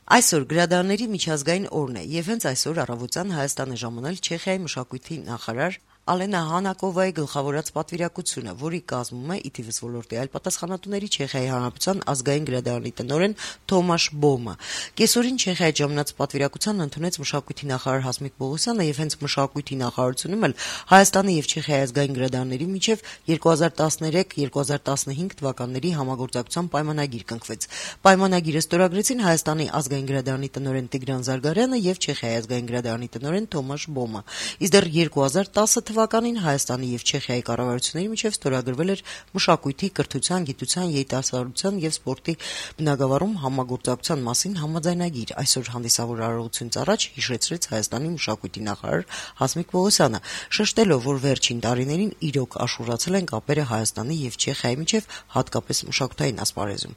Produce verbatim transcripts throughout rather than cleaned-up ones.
Այսօր գրադարանների միջազգային օրն է, եւ հենց այսօր առավոտյան Հայաստան է ժամանել Չեխիայի մշակույթի նախարար Ալենա Հանակովայի գլխավորած պատվիրակությունը, որի կազմում է ի թիվս ոլորտի այլ պատասխանատուների Չեխիայի Հանրապետության ազգային գրադարանի տնօրեն Թոմաշ Բոմը։ Կեսօրին Չեխիայի ժամանած պատվիրակությանն ընդունեց մշակույթի նախարար Հասմիկ Պողոսյանը եւ հենց մշակույթի նախարարությունում էլ Հայաստանի եւ Չեխիայի ազգային գրադարանների միջև երկու հազար տասներեք երկու հազար տասնհինգ թվականների համագործակցության պայմանագիր կնքվեց։ Պայմանագիրը ստորագրեցին Հայաստանի ազգային գրադարանի տնօրեն Տիգրան Զարգարյանը եւ Չեխիայի ազգային գրադարանի տնօրեն Թոմաշ Բոմը։ Իսկ դեռ երկու հազար տասը թվականին Հայաստանի եւ Չեխիայի կառավարությունների միջև ստորագրվել էր մշակույթի, կրթության, գիտության, երիտասարդության եւ սպորտի բնագավառում համագործակցության մասին համաձայնագիր։ Այսօր հանդիսավոր արարողությունից առաջ հիշեցրեց Հայաստանի մշակույթի նախարար Հասմիկ Պողոսյանը, շեշտելով, որ վերջին տարիներին իրոք աշուրացել են կապերը Հայաստանի եւ Չեխիայի միջև, հատկապես մշակութային ասպարեզում։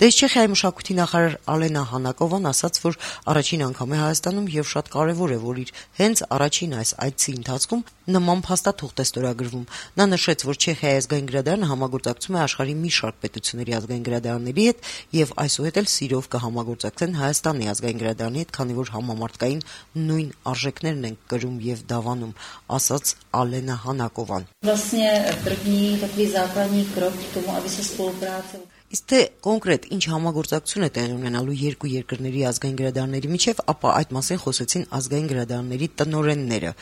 Դες Չեխիայի մշակույթի նախարար Ալենա Հանակովան ասաց, որ առաջին անգամ է Հայաստանում եւ շատ կարեւոր է, որ իր հենց առաջին այս այցի ընթացքում նման փաստաթուղթ է ստորագրվում։ Նա նշեց, որ Չեխիայի ազգային գրադարանը համագործակցում է աշխարհի մի շարք պետությունների ազգային գրադարանների հետ եւ այսուհետ էլ սիրով կհամագործակցեն Հայաստանի ազգային գրադարանի հետ, քանի որ համամարտկային նույն արժեքներն են կրում եւ դավանում, ասաց Ալենա Հանակովան։ Vlastně první takový základní krok k tomu, aby se spolupráce Իսկ թե կոնկրետ ինչ համագործակցություն է տեղի ունենալու երկու երկրների ազգային գրադարանների միջև, ապա այդ մասին խոսեցին ազգային գրադարանների տնօրենները։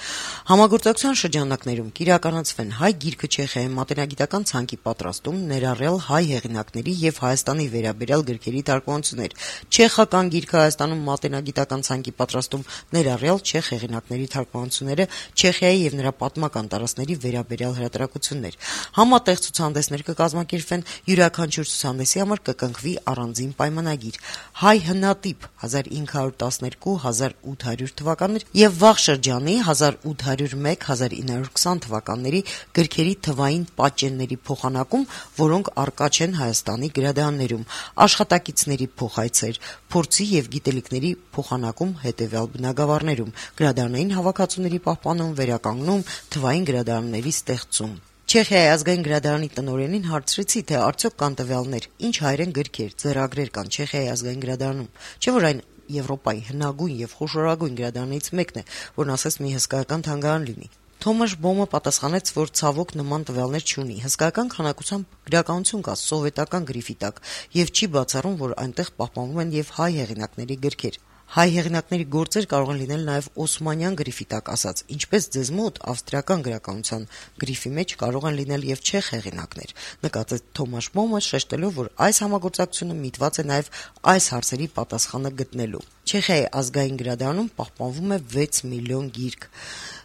Համագործակցության շրջանակներում կիրականացվեն հայ գիրքը Չեխիայի մատենագիտական ցանկի պատրաստում, ներառյալ հայ հեղինակների եւ Հայաստանի վերաբերյալ գրքերի թարգմանություններ, չեխական գիրքը Հայաստանում մատենագիտական ցանկի պատրաստում, ներառյալ չեխ հեղինակների թարգմանությունները, Չեխիայի եւ նրա պատմական տարածքների վերաբերյալ հրատարակություններ։ Համատեղ ցուցահանդեսներ կկազմակերպվեն, յուրաքանչյուր ցուցահանդեսի համար կկնքվի առանձին պայմանագիր։ Հայ հնատիպ հազար ինը հարյուր տասներկու հազար ութ հարյուր թվականներ եւ վաղ շրջանի հազար ութ հարյուր մեկ հազար ինը հարյուր քսան թվականների գրքերի թվային պատճենների փոխանակում, որոնք առկա չեն Հայաստանի գրադարաններում, աշխատակիցների փոխայցեր, փորձի եւ գիտելիքների փոխանակում հետեւյալ բնագավառներում, գրադարանային հավաքածուների պահպանում, վերականգնում, թվային գրադարանների ստեղծում։ Չեխիայի ազգային գրադարանի տնօրենին հարցրեցի, թե արդյոք կան տվյալներ, ինչ հայերեն գրքեր, ձեռագրեր կան Չեխիայի ազգային գրադարանում, չէ՞ որ այն Եվրոպայի հնագույն եւ խոշորագույն գրադարաններից մեկն է, որն ասես մի հսկայական թանգարան լինի։ Թոմաշ Բոմը պատասխանեց, որ ցավոք նման տվյալներ չունի։ Հսկայական քանակությամբ գրականություն կա սովետական գրիֆի տակ եւ չի բացառում, որ այնտեղ պահպանվում են եւ հայ հեղինակների գրքեր։ Հայ հեղինակների գործեր կարող են լինել նաև օսմանյան գրիֆի տակ ասած, ինչպես ձեզ մոտ ավստրիական գրականության գրիֆի մեջ կարող են լինել եւ չեխ հեղինակներ, նկատեց Թոմաշ Բոմը, շեշտելով, որ այս համագործակցությունը միտված է նաև այս հարցերի պատասխանը գտնելու։ Չեխիայի ազգային գրադարանում պահպանվում է վեց միլիոն գիրք։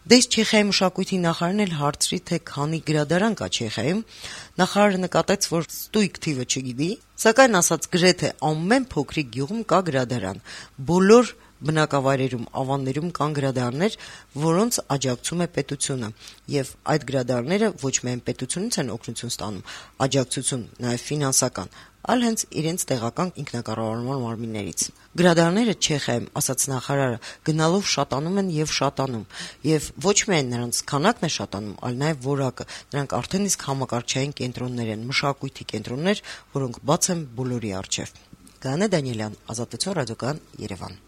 Դες Չեխիայի մշակույթի նախարարն էլ հարցրի, թե քանի գրադարան կա Չեխիայում, նախարարը նկատեց, որ ստույգ թիվը չգիտի, սակայն ասաց գրեթե ամեն փոքրիկ գյուղում կա գրադարան, բոլոր բնակավայրերում, ավաններում կան գրադարաններ, որոնց աջակցում է պետությունը, եւ այդ գրադարանները ոչ միայն պետությունից են օգնություն ստանում, աջակցություն նաեւ ֆինանսական, այլ հենց իրենց տեղական ինքնակառավարման մարմիններից։ Գրադարանները Չեխիայում, ասաց նախարարը, գնալով շատանում են եւ շատանում, եւ ոչ միայն նրանց քանակն է շատանում, այլ նաեւ որակը։ Նրանք արդեն իսկ համակարգչային կենտրոններ են, մշակույթի կենտրոններ, որոնք բաց են բոլորի առջեւ։ Գայանե Դանիելյան, Ազատություն ռադիոկայան, Երևան։